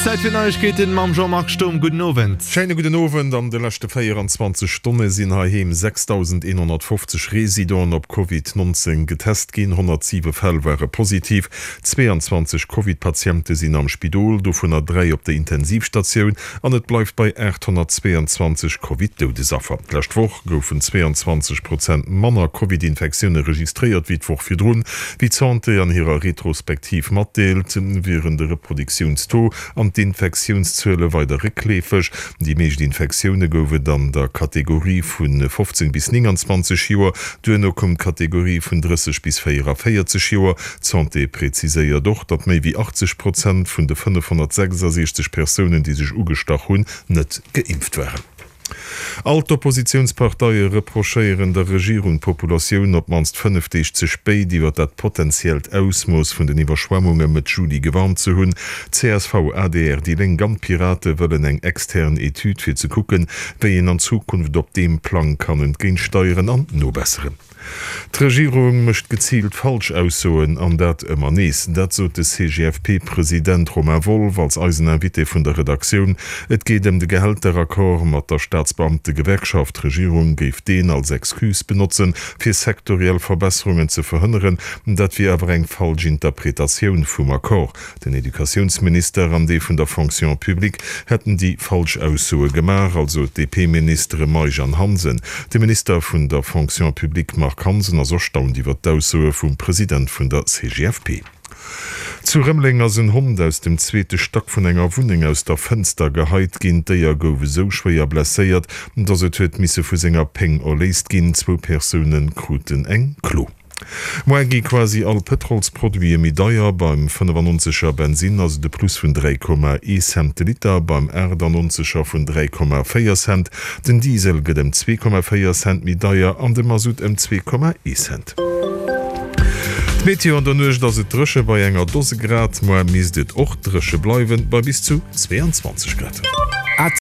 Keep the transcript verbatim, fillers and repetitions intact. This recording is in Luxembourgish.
Zäit fir Neiegkeeten mam Jean-Marc Sturm. Gudden Owend. Schéine gudden Owend. An de leschte véieranzwanzeg Stonne sinn heiheem sechsdausendeenhonnertfofzeg Residenten op Covid nonzéng getest ginn. honnertsiwe Fäll ware positiv. Zweeanzwanzeg Covid-Patiente sinn am Spidol, dovunner dräi op der Intensivstatioun. An et bleift bei aathonnertzweeanzwanzeg Covid-Doudesaffer. D'lescht Woch goufen zweeanzwanzeg Prozent manner Covid-Infektioune registréiert wéi d'Woch virdrun. Wéi d'Santé an hirer Retrospektiv matdeelt, wieren de Reproduktiounstaux an d'Infektiounszuele weider réckleefeg. Déi meescht Infektioune gouf et an der Kategorie vu fofzéng bis nénganzwanzeg Joer, duerno koum d'Kategorie vun drësseg bis véieraféierzeg Joer. D'Santé preziséiert och, datt méi wéi achtzeg Prozent vun de fënnefhonnertsechsasechzeg Persounen, déi sech ugestach hunn, net geimpft waren. All d'Oppositiounsparteie reprochéieren der Regierung, d'Populatioun op d'mannst fënnef Deeg ze spéit iwwer dat potentiellt Ausmooss vun den Iwwerschwemmunge Mëtt Juli gewarnt ze hunn. Csv, adr, déi Lénk an d'Pirate wëllen eng extern Etüd fir ze kucken, wéi een an Zukunft op deem Plang kann entgéintsteieren an nobesseren. D'Regierung mécht geziilt falsch Aussoen, an dat ëmmer nees. Dat sot de C G F P-President Romain Wolff als eisen Invité vun der Redaktioun. Et geet ëm de Gehälteraccord mat der Staatsbeamtegewerkschaft. D'Regierung géif deen als Excuse benotzen, fir sektoriell Verbesserungen ze verhënneren. Dat wier awer eng falsch Interpretatioun vum Accord. Den Educatiounsminister an dee vun der Fonction publique hätten déi falsch Aussoe gemaach, also d'D P-Ministere Meisch an Hansen. De Minister vun der Fonction publique Marc Hansen ass erstaunt iwwer d'Aussoe vum President vun der C G F P. Zu Rëmeleng ass en Hond aus dem zweete Stack vun enger Wunneng aus der Fënster geheit ginn. D'Déier gouf esou schwéier blesséiert, datt et huet misse vu senger Péng erléist ginn. Zwou Persoune kruten eng Klo. Moar gi quasi all Pëtrolsproduite méi deier. Beim fënnefannonzeger Bensinn ass et e Plus vun dräi Komma ee Cent de Liter, beim aachtannonzeger vun dräi Komma véier Cent. Den Diesel gëtt ëm zwee Komma véier Cent méi deier an de Masutt ëm zwee Komma ee Cent. D'Meteo, An der Nuecht ass et dréche bei enger Dose Grad. Moar misst et och dréche bleiwen, bei bis zu zweeanzwanzeg Grad.